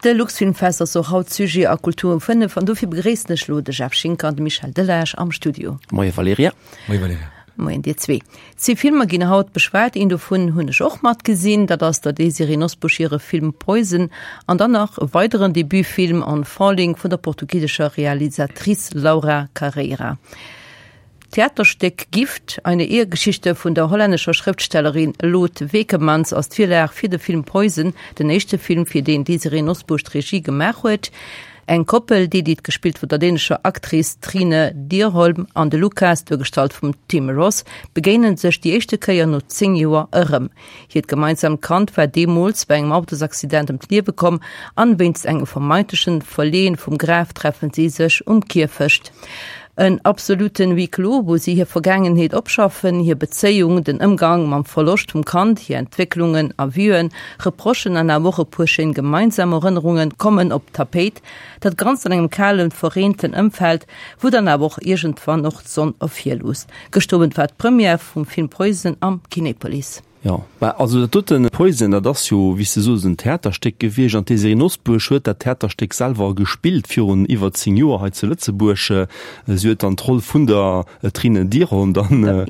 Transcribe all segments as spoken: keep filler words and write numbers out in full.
De Luxfilmfest ass och haut Sujet a Kultur um fënnef an dofir begréissen ech lo de Jeff Schinker an de Michel Delage am Studio. Moie Valerija. Moie Valerija. Moien dir zwee. Zwee Filmer ginn haut beschwat, een dovun hunn ech och mat gesinn, dat ass der Désirée Nosbusch hire Film Poison an dann nach e weideren Debutfilm On Falling vun der portugisescher Realisatrice Laura Carreira. D'Theaterstéck Gift, eine Ehegeschichte vun der hollännescher Schrëftstellerin Lot Vekemans ass d'Virlag fir de Film Poison, den éischte Film, fir deen d'Désirée Nosbusch d'Regie gemaach huet. Eng Koppel, d'Edith, gespillt vun der dänescher Actrice Trine Dyrholm, an de Lukas, duergestallt vum Tim Roth, begéine sech déi éischte Kéier no zéng Joer erëm. Hiert gemeinsamt Kand war deemools bei engem Autosaccident ëm d'Liewe komm an wéinst engem vermeintlechen Verleeën vum Graf treffen si sech um Kierfecht. En absoluten Huis clos, wou si hir Vergaangenheet opschaffen, hir Bezéiung, den Ëmgang mam Verloscht vum Kand, hir Entwécklungen a Vuen, Reprochen an awer och e puer schéin gemeinsam Erënnerungen kommen op d'Tapéit. Dat Ganzt an engem kalen, verreenten Ëmfeld, wou dann awer och iergendwann och d'Sonn ervirluusst. Gëschter Owend war d'Première vum Film Poison am Kinepolis. Jo, mä also dat doten Poison, dat ass jo, wéi s de soos, en Theaterstéck gewiescht an d'Désirée Nosbusch huet dat Theaterstéck selwer gespillt virun iwwer zéng Joer hei zu Lëtzebuerg. Si huet dann d'Roll vun der Trine Dyrholm dann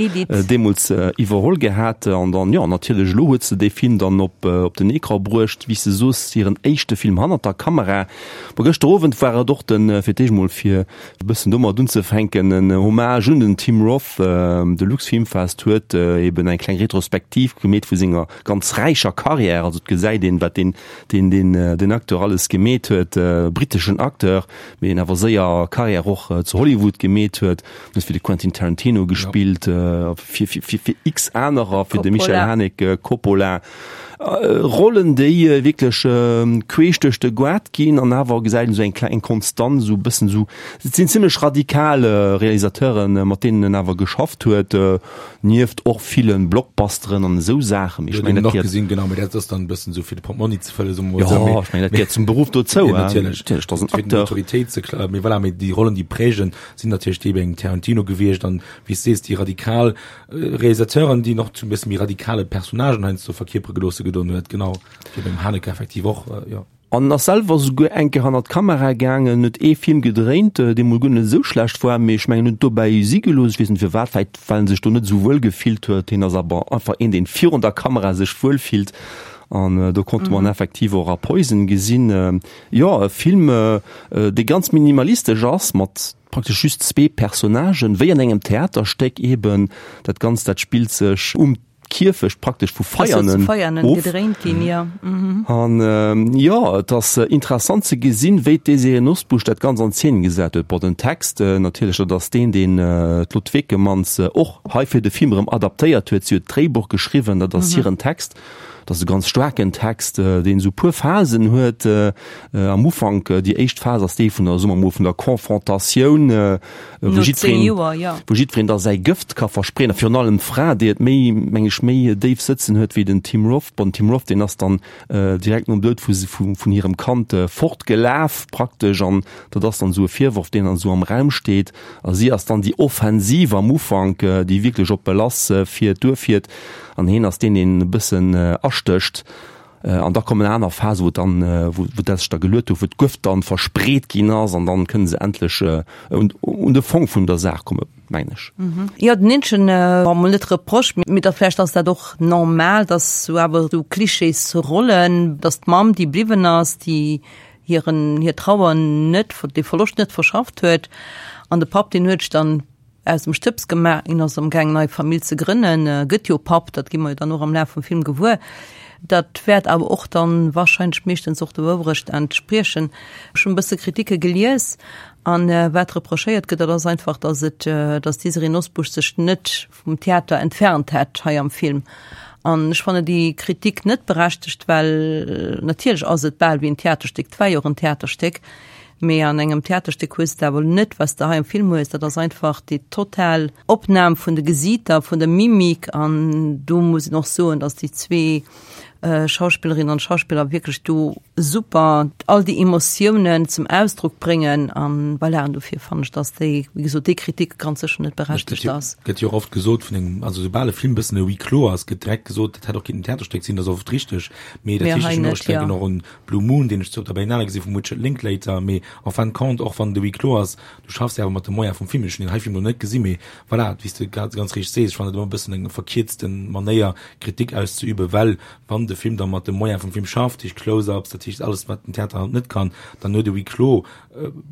deemools iwwerholl gehat an dann, jo, natierlech elo huet se dee Film dann op op den Ecran bruecht, wéi s de soos, hiren éischte Film hannert der Kamera. Bon, gëschter Owend war et och de fir d'éischt mol fir e bëssen domat unzefänken, en Hommage un den Tim Roth. De Luxfilmfest huet eben eng kleng Retrospektiv gemeet vu senger ganz räicher Karriär. Also et gesäit een, wat deen, deen, deen, deen Acteur alles gemeet huet, britteschen Acteur, mee deen awer séier Karriär och zu Hollywood gemeet huet. Huet fir de Quentin Tarantino gespillt, fir, fir, fir, fir x anerer, fir de Michael Haneke, Coppola. Rollen, déi wierklech queesch duerch de Goart ginn an awer gesäit een esou eng kleng Konstanz, esou e bëssen esou, et sinn zimlech radikal Realisateuren, mat deenen en awer geschafft huet, nieft och ville Blockbusteren an esou Saachen. Mee ech mengen, dat gehéiert. Gesinn, genau, mee dat ass dann e bëssen esou fir de Portmonni ze fëllen, soe mer mol esou. Jo, ech mengen, dat gehéiert zum Beruff dozou, hein. Natierlech, natierlech, dat ass en Fir Acteur. d'Notoriétéit ze kla-, mee voilà, mee déi Rollen, déi prägen, sinn natierlech déi bei engem Tarantino gewiescht an, wéi s de sees, déi radikal Realisateuren, déi nach zu e bësse méi radikale Personnagen heiansdo verkierpere geloosse gedon huet, genau, wéi beim Haneke effektiv och, jo. An ass selwer souguer eng Kéier hannert d'Kamera gaangen, huet ee Film gedréint, dee mol guer net esou schlecht war, mee ech mengen, huet dobäi si gelooss, ech weess net firwat, vläicht well en sech do net esou wuel gefillt huet. Hien ass awer einfach een, deen virun der Kamera sech wuel fillt an do konnte mer en effektiv och a Poison gesinn. Jo, e Film, dee ganz minimalistesch ass, mat praktesch just zwee Personnagen, wéi an engem Theaterstéck eben. Dat Ganzt, dat spillt sech um Kierfecht praktesch vu Veianen of. An jo, et ass interessant ze gesinn, wéi d'Désirée Nosbusch dat Ganzt an Zeen gesat huet. Bon, den Text natierlech, dat ass deen, deen d'Lot Vekemans och hei fir de Film erëm adaptéiert huet. Si huet d'Dréibuch geschriwwen, dat ass hiren Text. Dat ass e ganz staarken Text, deen esou e puer Phasen huet. Am Ufank, déi éischt Phas ass déi vun der, soe mer mol, vun der Confrontatioun, wou jiddwereen, wou jiddwereen da säi Gëft ka verspreeën, a virun allem d'Fra, déi et méi, meng ech, méi déif sëtzen huet wéi den Tim Roth. Bon, den Tim Roth, deen ass dann direkt nom Doud vu, vun hirem Kand fortgelaf praktesch, an dat ass dann esou e Virworf, deen dann esou am Raum steet. A si ass dann déi Offensiv am Ufank, déi wierklech oppe lass fiert, duerfiert. An hien ass deen, deen e bëssen astécht. An da kommen aner Phasen, wou dann, wou dat sech da geluet huet, wou d'Gëft dann verspreet ginn ass an dann kënne se endlech un, un de Fong vun der Saach kommen, mengen ech. Jo, den eenzegen, bon, mol net Reproche, mee da vläicht ass dat och normal, dass sou awer sou Klischeesrollen, dass d'Mamm, déi bliwwen ass, déi hiren, hir Trauer net, dee Verloscht net verschafft huet, an de Papp, deen huet sech dann aus dem Stëbs gemaach, hien ass amgaang nei Famill ze grënnen, gëtt jo Papp, dat gi mer jo dann och am Laf vum Film gewuer. Dat wäert awer och dann wahrscheinlech meeschtens och der Wourecht entspriechen. Ech hunn e bësse Kritike gelies an wat reprochéiert gëtt, dat ass einfach, datt et, datt d'Désirée Nosbusch sech net vum Theater entfernt hätt hei am Film. An ech fannen déi Kritik net berechtegt, well natierlech ass et bal wéi en Theaterstéck, et war jo och en Theaterstéck, Mee an engem Theaterstéck hues de awer net, wat s de hei am Film hues, dat ass einfach déi total Opnam vun de Gesiiter, vun der Mimik. An do muss een och soen, datt déi zwee Schauspillerinnen an Schauspiller wierklech do super all déi Emotiounen zum Ausdrock bréngen an voilà, an dofir fannen ech, dass déi, wéi gesot, déi Kritik ganz sécher net berechtegt ass. Gëtt jo och oft gesot vun engem, also soubal e Film e bëssen e Huis clos ass, gëtt direkt gesot, dat hätt och kinnten en Theaterstéck sinn, dat ass oft richteg, mee dat heescht, ech hunn och, ech denken och un Blue Moon, deen ech zu op der Berlinale gesinn vum Richard Linklater, mee en fin de compte, och wann de Huis clos ass, du schaffs jo awer mat de Moyene vum Film, ech hunn deen hei Film elo net gesinn, mee voilà, wéi s de grad ganz richteg sees, ech fannen et ëmmer e bëssen eng verkierzte Manéier Kritik auszeüben, well wann de Film da mat de Moyene vum Film schafft, dat heescht Close-ups, dat heescht alles wat den Theater halt net kann, dann huet e Huis clos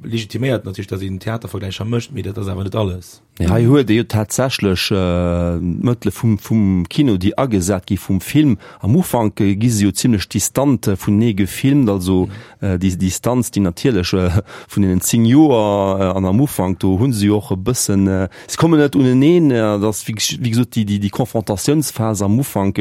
legitiméiert natierlech, datt een Theatervergläicher mécht, mee dat ass awer net alles. Nee, hei huet ee jo tatsächlech d'Mëttele vum, vum Kino, déi agesat gi vum Film. Am Ufank gi se jo zimlech distant vunenee gefilmt, also déi Distanz, déi natierlech vun deenen zéng Joer an am Ufank, do hu se jo och e bëssen, se kommen net uneneen, dat ass wéi gesot déi, déi Konfrontatiounsphas am Ufank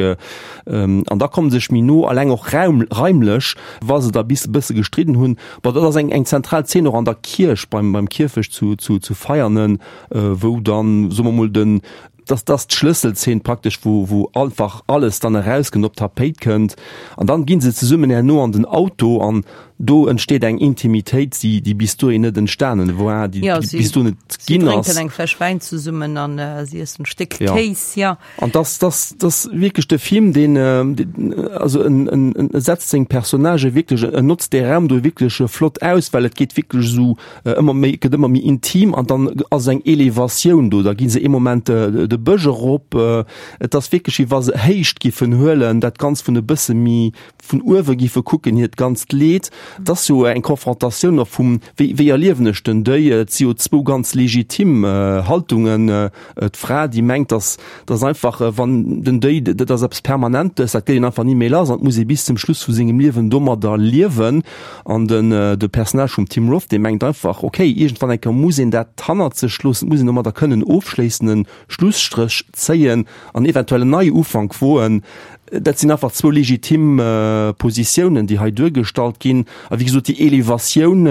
an da komme sech méi no, alleng och raum, raimlech, wa se da bis e bësse gestridden hunn. Bon, dat ass eng, eng zentral Zeen och an der Kierch, beim, beim Kierfecht zu, zu, zu Veianen, wou dann, soe mer mol, den, dass dass d'Schlësselzeen praktesch, wou, wou einfach alles dann erauskënnt, op d'Tapéit kënnt. An dann gi se zesummen herno an den Auto an do entsteet eng Intimitéit, déi, déi bis dohin net entstanen war, déi, ja, déi si, bis do net si ginn drénken ass. eng Fläsch Wäin zesummen an äh, si iessen e Stéck Ja. Kéis, ja. An das, das, das wierklech de Film, deen, äh, deen, also en, en, en setzt seng Personnagë wierklech, en notzt dee Raum do wierklech flott aus, well et geet wierklech esou äh, ëmmer méi, gëtt ëmmer méi intim an dann ass eng Elevatioun do, da gi se ee Moment äh, de Bësch erop, äh, et ass wierklech wéi wa se Héicht giffen huelen, dat Ganzt vun e bësse méi vun uewe giffe kucken, hiert ganzt Leed. Et ass jo eng Konfrontatioun och vum, wéi, wéi erliewen ech den Deuil? Et si jo zwou ganz legitim Haltungen. D'Fra, déi mengt, dass, dass einfach, wann den Deuil, dat ass eppes Permanentes, dat gëtt een einfach ni méi lass an et muss ee bis zum Schluss vu sengem Liewen domadder liewen. An den, de Personnage vum Tim Roth, dee mengt einfach, okay, iergendwann eng Kéier muss een dat hannert sech loossen, et muss een domadder kënnen ofschléissen, en Schlusstréch zéien an eventuell en Neiufank woen. Dat sinn einfach zwou legitim Positiounen, déi hei duergestallt ginn. A wéi gesot, déi Elevatioun,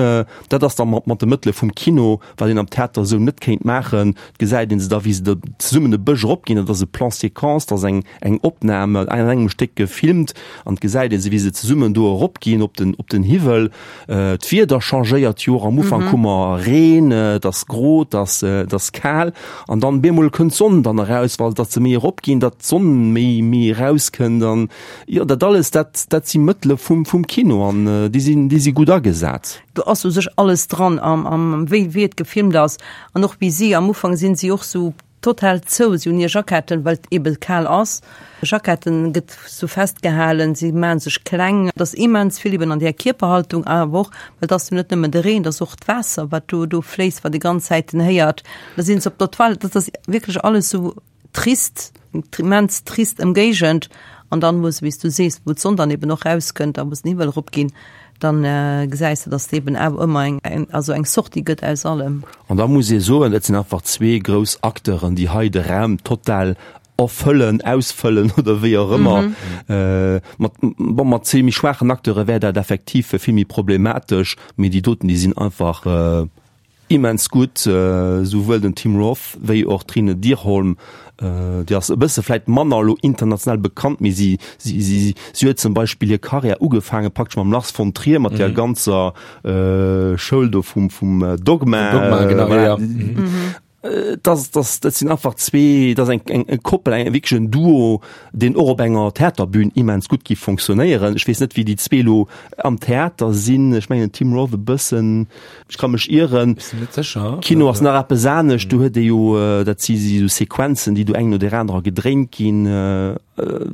dat ass da mat de Mëttele vum Kino, wat een am Theater esou net kéint maachen. Et gesäit ee se da, wéi se da zesummen e Bësch eropginn. Dat ass e Plan séquence, dat ass eng, eng Opnam an engem Stéck gefilmt. An et gesäit ee se, wéi se zesummen do eropginn op den, op den Hiwwel. D'Wieder changéiert jo och. Am Ufank hu mer Reen, et ass gro, et ass, et ass kal. An dann bemol kënnt d'Sonn dann eraus, well datt se méi eropginn, datt d'Sonn méi, méi erauskënnt. An jo, dat alles, dat, dat si Mëttele vum, vum Kino an déi sinn, déi si gutt agesat. Do ass u sech alles dran am, am wéi, wéi et gefilmt ass an och wéi si am Ufank sinn si och sou total zou, si hunn hir Jacketten, well et ebe kal ass, Jacketten gëtt sou festgehalen, si maache sech kleng, et ass immens vill eben an där Kierperhaltung, awer och, well et ass jo net nëmmen de Reen, et ass och d'Waasser, wat do, do fléisst, wat ee ganz Zäiten héiert. Da sinn se op der Toilette, dat ass wierklech alles sou trist, immens trist Ëmgéigend. An dann, wou se, wéi s du sees, wou d'Sonn dann eben och rauskënnt a wou se den Hiwwel eropginn, dann gesäis de, dass et eben awer ëmmer eng, eng, also eng Sortie gëtt aus allem. An da muss ee soen, dat sinn einfach zwee grouss Acteuren, déi hei de Raum total erfëllen, ausfëllen oder wéi och ëmmer. Mat, bon, mat zwee méi schwaachen Acteure wär dat effektiv vill méi problematesch, mee déi doten, déi sinn einfach, Immens gutt, souwuel den Tim Roth wéi och d'Trine Dyrholm. Déi ass e bësse vläit manner elo international bekannt, mee si si si huet zum Beispill hir Karriär ugefaange praktesch mam Lars von Trier, mat där ganzer Schoul do vum vum Dogma. Dogma, genau, ja, ja. Dat dat dat sinn einfach zwee, dat ass eng eng e Koppel, eng wierklech en Duo, deen och op enger Theaterbün immens gutt géif fonctionnéieren. Ech weess net, wéi déi zwee elo am Theater sinn. Ech mengen den Tim Roth e bëssen, ech ka mech ieren. Ech sinn net sécher. Kino ass nach eppes anescht, do huet ee jo, dat si si sou Sequenzen, déi do eng no där anerer gedréint ginn.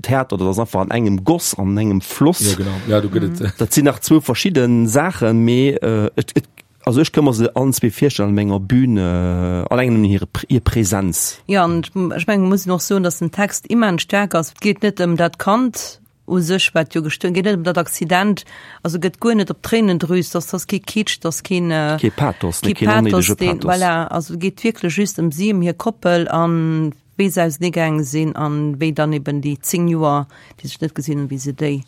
Theater, dat ass einfach an engem Goss, an engem Floss. Jo, genau. Ja, do gëtt et. Dat sinn nach zwou verschidde Saachen, mee et, et, also ech ka mer se allen zwee virstellen an enger Bühn, alleng nëmmen hir, hir Präsenz. Jo, an ech mengen, et muss een och soen, datt den Text immens staark ass. Et geet net ëm dat Kand u sech, wat jo gestuerwen, geet net ëm dat Accident, also gëtt guer net op d'Tréinendrüs, dass dass kee Kitsch, dass keen Kee Pathos, kee keen onnéidege Pathos, deen, Pathos. voilà, also et geet wierklech just ëm si, ëm hir Koppel an wéi se auseneegaange sinn an wéi dann eben déi zéng Joer, déi sech net gesinn hunn, wéi se déi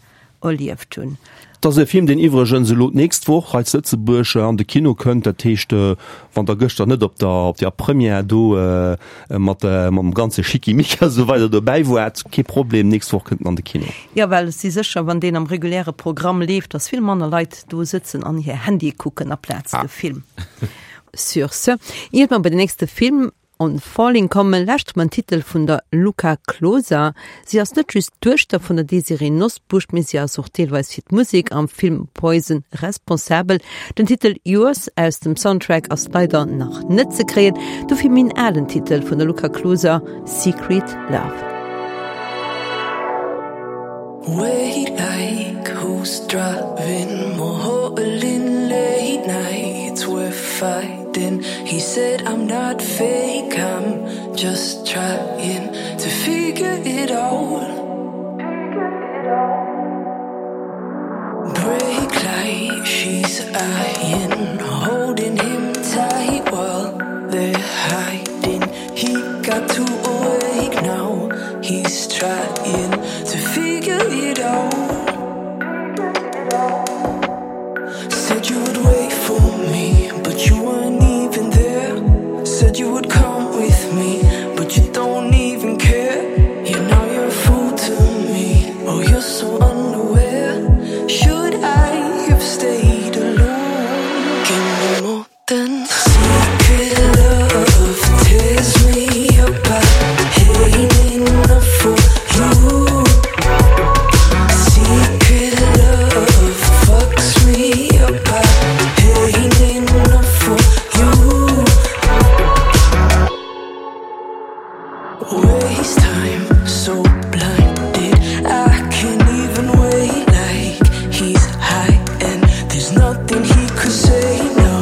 erlieft hunn. Dat ass e Film, deen iwwregens elo d'nächst Woch hei zu Lëtzebuerg an de Kino kënnt. Dat heescht, wann Der gëschter net op der, op der Première do mat mam ganze Schickimicki a sou weider dobäi waart, kee Problem, d'nächst Woch kënnt en an de Kino. Jo, well ech si sécher, wann deen am reguläre Programm leeft, dass vill manner Leit do sëtzen an hir Handye kucken aplaz de Film. Sur ce, iert mer bei den nächste Film On Falling kommen, lauschtere mer en Titel vun der Luca Closa. Si ass net just d'Duechter vun der Désirée Nosbusch, mee si ass och deelweis fir d'Musek am Film Poison responsabel. Den Titel Yours aus dem Soundtrack ass leider nach net ze kréien, dofir méi en alen Titel vun der Luca Closa, Secret Love. Wait like who's driving more hauling late nights we're fighting he said I'm not fake I'm just trying to figure it out break like she's eyeing holding him tight while they're hiding he got too awake now he's trying to figure it out said you would wait for me but you weren't even there said you would come with me but you don't even care you know you're a fool to me oh you're so unaware should I have stayed alone give me more than secret love tears me apart ain't enough for you secret love fucks me apart ain't enough for you waste time so blinded I can't even wait like he's high and there's nothing he could say no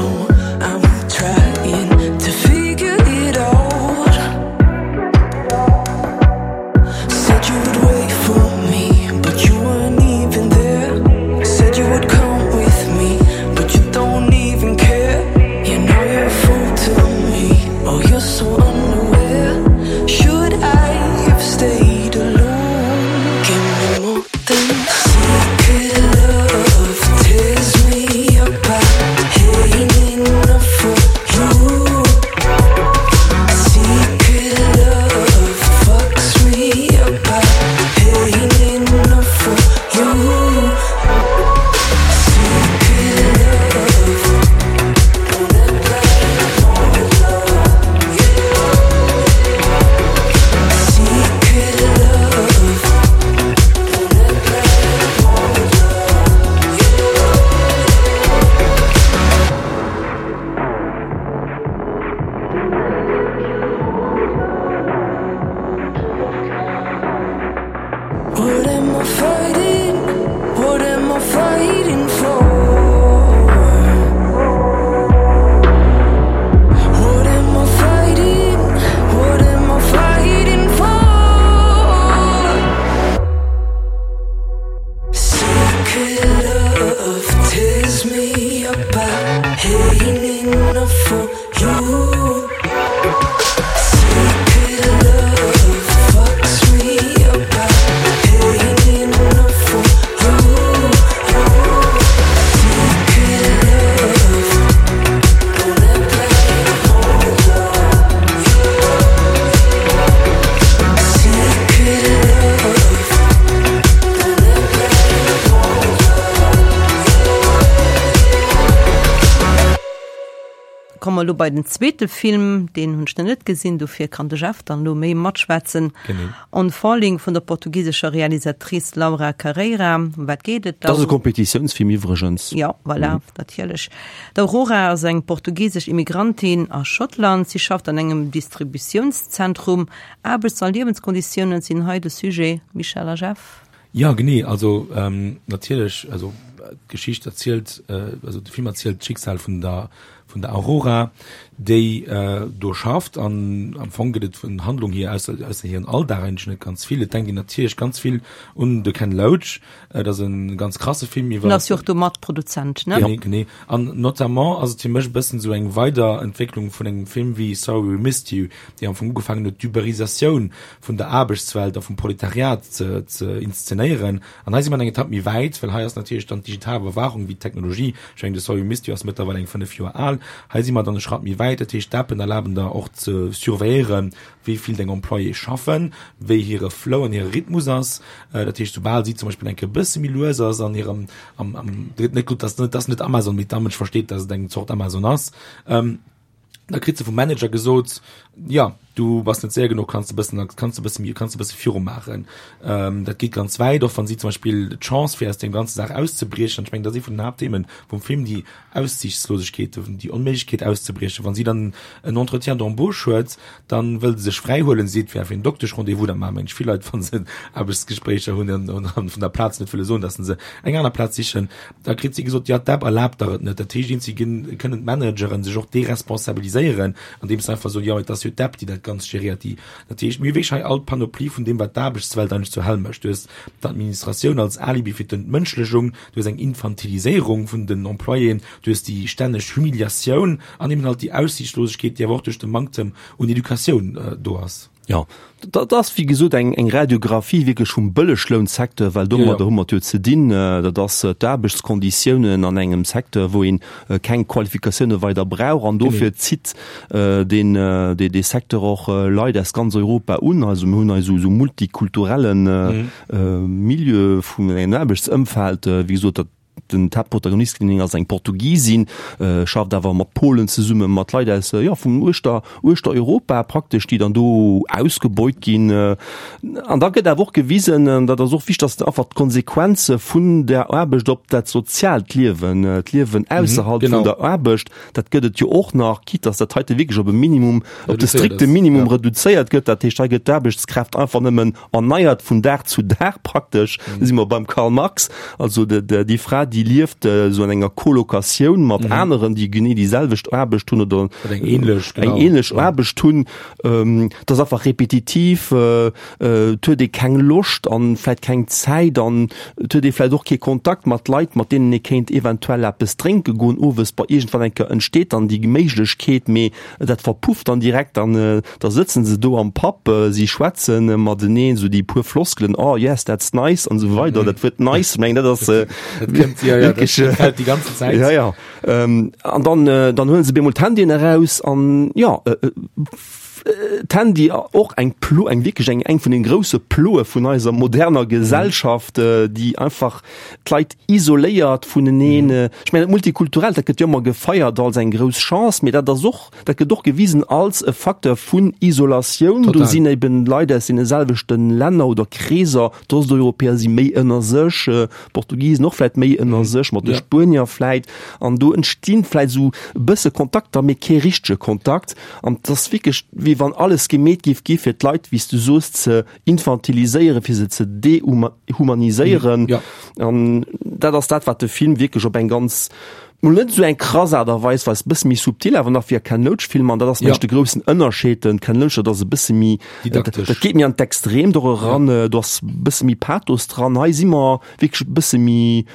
I'm trying to figure it out said you would wait for me but you weren't even there said you would come with me but you don't even care you know you're a fool to me oh you're so unaware should I have stayed alone give me more than secret love tears me apart ain't enough for you secret love fucks me apart ain't enough for you secret love don't act like you want love secret love don't act like you want love What am I fighting? What am I fighting for? What am I fighting? What am I fighting for? Secret love tears me apart. Ain't enough for you. Secret love fucks me apart. Ain't enough for you. Secret love don't act like you want love. Secret love don't act like you want love. Komme mer elo bei den zweete Film, deen hunn ech nach net gesinn, dofir kann de Jeff dann elo méi matschwätzen. Genee. On Falling vun der portugisescher Realisatrice Laura Carreira. Ëm wat geet et Dat ass e Kompetitiounsfilm iwwregens. Jo, voilà, mhm. natierlech. D'Aurora ass eng portugisesch Immigrantin a Schottland. Si schafft an engem Distributiounszentrum. Aarbechts a Liewenskonditiounen sinn hei de Sujet, Michèle a Jeff. Jo, genee. Also ähm, natierlech, also d'Geschicht erzielt, äh, also de Film erzielt d'Schicksal vun der vun der Aurora, déi do schafft. An am Fong gëtt et vun Handlung hier, ausser, ausser hiren Alldag eigentlech net ganz vill. Et denkt een natierlech ganz vill un de Ken Loach. Et ass e ganz krasse Film iwwer. En ass jo och do Matproduzent, ne? Genee, genee. An notamment ass et fir mech e bëssen esou eng Weiderentwécklung vun engem Film wéi Sorry We Missed You, déi am Fong ugefaangen huet, d'Uberisatioun vun der Aarbechtswelt a vum Proletariat ze, ze inszenéieren. An hei si mer eng Etapp méi wäit, well hei ass natierlech dann d'digital Iwwerwaachung wéi d'Technologie, ech mengen de Sorry We Missed You ass mëttlerweil eng fënnef Joer al, hei si mer dann e Schratt méi wäit, dat heescht d'Appen erlaben der och ze surveilléieren, wéi vill deng Employéë schaffen, wéi hire Flow an hire Rhythmus ass. Dat heescht, soubal si zum Beispill eng Kéier e bësse méi lues ass an hirem, am, am, net gutt, dat ass net Amazon, mee d'Amënsch versteet, datt et eng Zort Amazon ass, da kritt se vum Manager gesot, ja, du bass net séier genuch, kanns de bëssen, kanns de bësse méi, kanns de bësse viru maachen. Ähm, dat geet ganz wäit, och wann si zum Beispill d'Chance fir aus deem ganze Saach auszebriechen, ech mengen, dat ass ee vun den Haaptthemen vum Film, déi Aussiichtslosegkeet, déi Onméiglechkeet auszebriechen. Wann si dann en Entretien d'embauche huet, dann wëll se sech fräi huelen, seet fir fir en Dokteschrendez-vous, dat maachen mengen ech vill Leit, wann se Aarbechtsgespréicher hunn an, an vun der Plaz net wëlle soen, dass se eng aner Plaz sichen, da kritt si gesot, ja, d'App erlaabt der et net. Dat heescht, eenzi ginn, kënnen d'Manageren sech och deresponsabiliséieren, andeems se einfach soen, jo, et ass jo d'App, déi dat Ganzt geréiert. Déi, dat heescht, mir hu wierklech hei all d'Panoplie vun deem, wat d'Aarbechtswelt eigentlech zur Hell mécht. Du hues d'Administratioun als Alibi fir d'Entmënschlechung, du hues eng Infantiliséierung vun den Employéen, du hues déi stänneg Humiliatioun an eben halt déi Aussiichtslosegkeet, déi awer och duerch de Manktem un Educatioun do ass. Jo, dat ass wéi gesot eng eng Radiographie wierklech vum Bëlleglounsecteur, well domadder hu mer et jo ze dinn. Dat ass d'Aarbechtskonditiounen an engem Secteur, wou een keng Qualifikatioune weider brauch an dofir zitt deen dee Secteur och Leit aus ganz Europa un. Also mir hunn hei esou esou multikulturelle Milieu vun engem Aarbechtsëmfeld, wéi gesot, dat Den d'Haaptprotagonistin ass eng Portugisin, schafft awer mat Polen zesummen, mat Leit aus, jo, vun uechter, uechter Europa praktesch, déi dann do ausgebeut ginn. An da gëtt awer och gewisen, an dat ass och wichteg, dass einfach d'Konsequenze vun der Aarbecht op dat soziaalt Liewen, d'Liewen ausserhalb vun der Aarbecht, dat gëtt et jo och nach, quitte dass dat heite wierklech op e Minimum, op de strikte Minimum reduzéiert gëtt. Dat heescht, hei gëtt d'Aarbechtskraaft einfach nëmmen erneiert vun Dag zu Dag praktesch. Do si mer beim Karl Marx. Also déi Fra, déi lieft esou an enger Colocatioun mat aneren, déi genee déi selwecht Aarbecht hunn oder eng ähnlech, eng ähnlech Aarbecht hunn. Dat ass einfach repetitiv, et huet ee keng Loscht an vläicht keng Zäit an et huet ee vläicht och kee Kontakt mat Leit, mat deenen ee kéint eventuell eppes drénke goen owes. Bei iergendwann eng Kéier entsteet dann déi Méiglechkeet, mee dat verpufft dann direkt an da sëtzen se do am Pub, si schwätze mateneen, esou déi puer Floskelen, oh yes, that's nice an esou weider. Dat Wuert nice, meng dat ass wierklech déi ganze Zäit. Ja, ja. An dann, dann huele se bemol d'Handyen eraus an jo, d'Handy och eng Plo, eng wierklech eng, eng vun den grousse Ploe vun eiser moderner Gesellschaft, déi einfach d'Leit isoléiert vuneneen. Ech mengen, dat Multikulturellt, dat gëtt jo ëmmer gefeiert als eng grouss Chance, mee dat ass och, dat gëtt och gewisen als e Facteur vun Isolatioun. Do sinn eben Leit aus deene selwechte Länner oder Kreeser, d'Osteuropäer si méi ënner sech, d'Portugisen och vläit méi ënner sech, mat de Spuenier vläit. An do entstinn vläit esou e bësse Kontakter, mee kee richtege Kontakt. An et ass wierklech, wéi wann alles gemeet géif gi fir d'Leit, wéi s du soos, ze infantiliséieren, fir se ze dehumaniséieren. An dat ass dat, wat de Film wierklech op eng ganz, mol net esou eng krass Aart a Weis weist, e bësse méi subtil awer nach wéi a Ken Loach Filmer. An dat ass mengen ech de groussen Ënnerscheed. Den Ken Loach, dat ass e bësse méi, dat geet méi an d'Extreemt och eran, do ass e bësse méi Pathos dran. Hei si mer wierklech e bësse méi,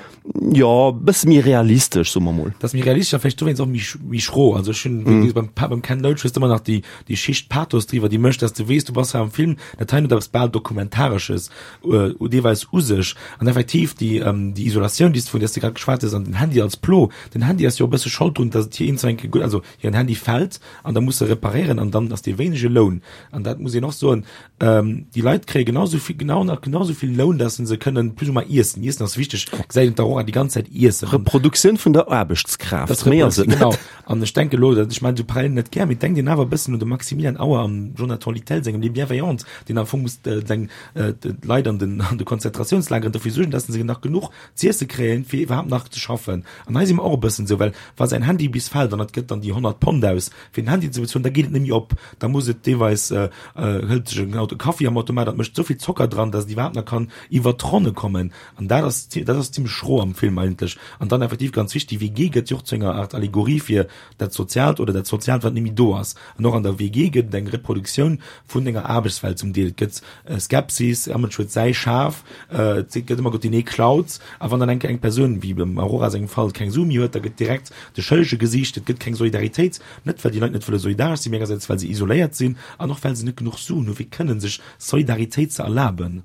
jo, e bësse méi realistesch, soe mer mol. Dat ass méi realistesch a vläicht dowéinst och méi, méi schro. Also ech hunn, wéi gesot, beim, beim Ken Loach hues de ëmmer nach déi, déi Schicht Pathos driwwer, déi mécht, dass de weess, du bass hei am Film, dat hei huet eppes bal Dokumentaresches, deelweis u sech. An effektiv, déi, déi Isolatioun, déi s de, vun där s de grad geschwat hues, an den Handy als Plo, den Handy ass jo e bësse Schold drun, dass et hir eenzel enke gutt, also hiren Handy fält an da muss se reparéieren an dann ass dee wéinege Loun, an dat muss een och soen, déi Leit kréie genau esou vill, genau nach genau esou vill Loun, dass se kënnen plus ou moins iessen. Iessen ass wichteg, gesäit een d'Aurora déi ganz Zäit iessen. Reproduktioun vun der Aarbechtskraaft, méi ass et net. Genau. An ech denke elo, ech maachen esou Parallelen net gär, mee denkt een awer e bëssen un de Maximilian Auer am Jonathan Littell sengem Les Bienveillantes, deen am Fong muss seng d'Leit an den an de Konzentratiouns-lageren dofir suergen, dass se nach genuch z'iesse kréien, fir iwwerhaapt nach ze schaffen. An hei si mer och e bëssen esou, well wa säin Handy bis fält an et gëtt dann déi honnert Pond aus fir den Handy ze bezuelen, da geet et net méi op, da muss et deelweis hëlt sech en Auto Kaffi am Automat, dat mécht esou vill Zocker dran, dass et iwwerhaapt nach kann iwwert d'Ronne kommen an dat ass dat ass zimmlech schro am Film eigentlech. An dann effektiv ganz wichtig, déi W G gëtt jo och zu enger Art Allegorie fir dat Soziaalt oder dat Soziaalt wat net méi do ass. An och an der W G gëtt et eng Reproduktioun vun enger Aarbechtswelt zum Deel. Et gëtt Skepsis, all Mënsch huet säi Schaf, et gëtt ëmmer gesot, deen ee klaut. A wann dann eng Kéier eng Persoun, wéi beim Aurora sengem Fall, keng Su méi huet, da gëtt direkt de Schëllege gesicht. Et gëtt keng Solidaritéit, net well déi Leit net wëlle solidaresch sinn, mee engersäits well se isoléiert sinn an och well se net genuch Suen hu fir kënnen sech Solidaritéit ze erlaben.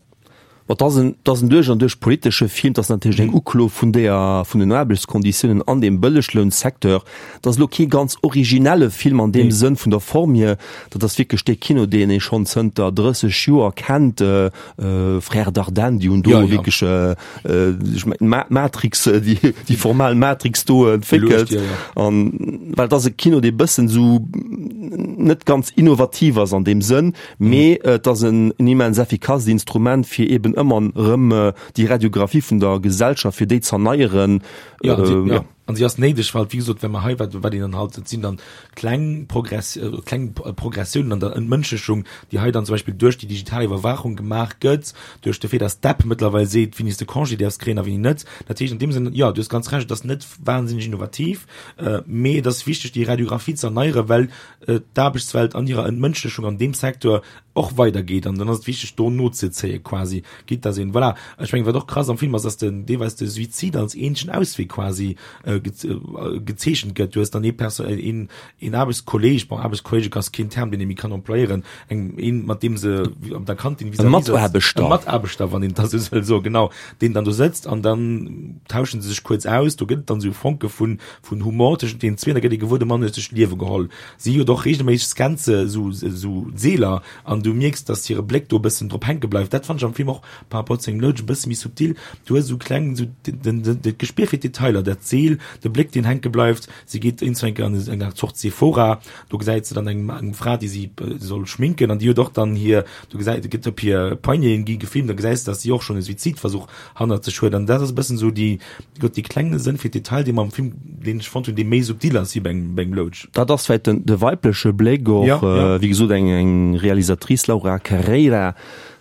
Bon, et ass en, et ass en duerch an duerch politesche Film. Et ass natierlech eng Uklo vun deeër, vun den Aarbechtskonditiounen an deem Bëlleglounsecteur. Et ass elo kee ganz originelle Film an deem Sënn vun der Form hier. Dat ass wierklech dee Kino, deen ee schonn zënter drësseg Joer kennt. Frères Dardenne, déi hunn do wierklech, ech mengen, d'Matrix, déi, déi formal Matrix do entwéckelt. An well et ass e Kino, dee bëssen esou net ganz innovativ ass an deem Sënn, mee et ass en immens effikasst Instrument, fir eben ëmmer erëm déi Radiographie vun der Gesellschaft, fir déi z'erneieren. Ja, an si, ja. An si ass néideg, well, wéi gesot, well mer hei, wat, wat een dann halt, et sinn dann kleng Progress, kleng Progressiounen an der Entmënschlechung, déi hei dann zum Beispill duerch déi digital Iwwerwaachung gemaach gëtt, duerch de Fait, dass d'App mëttlerweil seet, wéini s de Congé däerfs kréien a wéini net. Dat heescht an deem Sënn, jo, du hues ganz Recht, et ass net wahnsinneg innovativ, mee et ass wichteg, déi Radiographie ze erneieren, well d'Aarbechtswelt an hirer Entmënschlechung an deem Secteur och weidergeet an dann ass et wichteg do nozezéie quasi, quitte dass een, voilà, ech mengen wat och krass am Film ass, dass den deelweis de Suizid als eenzegen Auswee quasi gezeechent gëtt. Du hues dann ee Perso-, een, een Aarbechtskolleg, bon Aarbechtskolleg ass keen Term deen ee méi kann employéieren, eng, een mat deem se op der Kantin vis-à-vis sëtzt, e Mataarbechter, e Mataarbechter, wann een dat esou wëll soen, genau, deen dann do sëtzt an dann tauschen se sech kuerz aus, do gëtt et dann esou Fonke vun, vun Humor tëschent deenen zwee, da gëtt ee gewuer, de Mann huet sech d'Liewe geholl. Si huet och regelméisseg Skenze, esou, esou Seeler, an du mierks, dass hire Bléck do e bëssen drop hänke bleift. Dat fannen ech am Film och par rapport zu engem Loach e bësse méi subtil. Du hues esou kleng, esou den, den, dat Gespier fir d'Detailer, dat Seel, de Bléck, deen hänke bleift. Si geet iergendwou eng Kéier an eng Art Zort Sephora, do gesäit se dann eng, eng Fra, déi si soll schminken, an déi huet och dann hir, du gesäit, gëtt op hir Poigneten gi gefilmt, da gesäis de, dass si och schonn e Suizidversuch hannert sech huet. An dat ass e bëssen esou déi, Gott, dee klenge Sënn fir d'Detail, dee mer am Film, deen ech fonnt hunn, dee méi subtil ass wéi bei engem, bei engem Loach. Dat ass vläicht den, de weibleche Bléck och, Ja, ja. wéi gesot, eng, eng Realisatrice, Laura Carreira,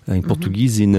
eng Portugisin.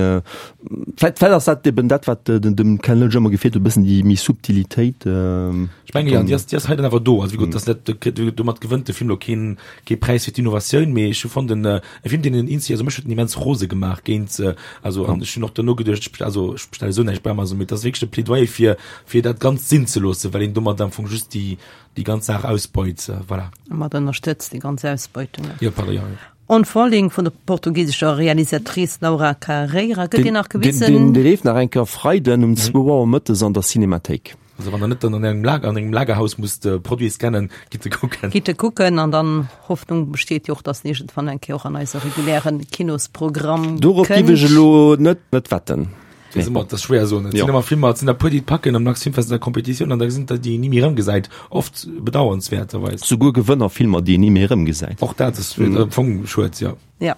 Vläicht, vläicht ass dat eben dat, wat den, dem Ken Loach ëmmer gefeelt huet, e bëssen déi méi Subtilitéit. Ech menge jo, an déi ass, déi ass hei dann awer do. Also wéi gesot, dat ass net, domat gewënnt de Film elo keen, kee Präis fir d'Innovatioun, mee ech hu fonnt, en, e Film, deen en inzi, also mech huet en immens rose gemaach géint, also an ech hunn och duerno geduecht, ech, also ech bestelle sou näischt bei Amazon, mee et ass wierklech e Plädoyer fir, fir dat Ganzt sinn ze loossen, well een domat am Fong just déi, déi ganz Saach ausbeut, voilà. Mat ënnerstëtzt déi ganz Ausbeutung. Jo, pardon, jo, jo. On Falling vun der portugisescher Realisatrice Laura Carreira gëtt deen nach gewisen? Deen, deen leeft nach eng Kéier Freiden um zwou Auer mëttes an der Cinémathéik. Also wann der net dann an engem Lager, an engem Lagerhaus musst de Produit scannen, gitt e kucken. Gitt e kucken an dann Hoffnung besteet jo och, dass en iergendwann eng Kéier och an eise regulären Kinosprogramm Dorop kënnt. giff ech elo net net wetten. Dat ass ëmmer, dat ass schwéier soen. Et sinn ëmmer Filmer, et sinn der puer, déi et packen am Max Filmfest an der Competitioun an da sinn der, déi een ni méi erëmgesäit, oft bedauernswäerterweis. Souguer Gewënnerfilmer, déi een ni méi erëmgesäit. Och dat ass am Fong schued, jo. Ja,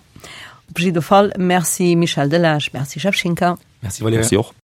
op jidde Fall Merci Michel Delage, Merci Jeff Schinker. Merci Valerija. Merci och.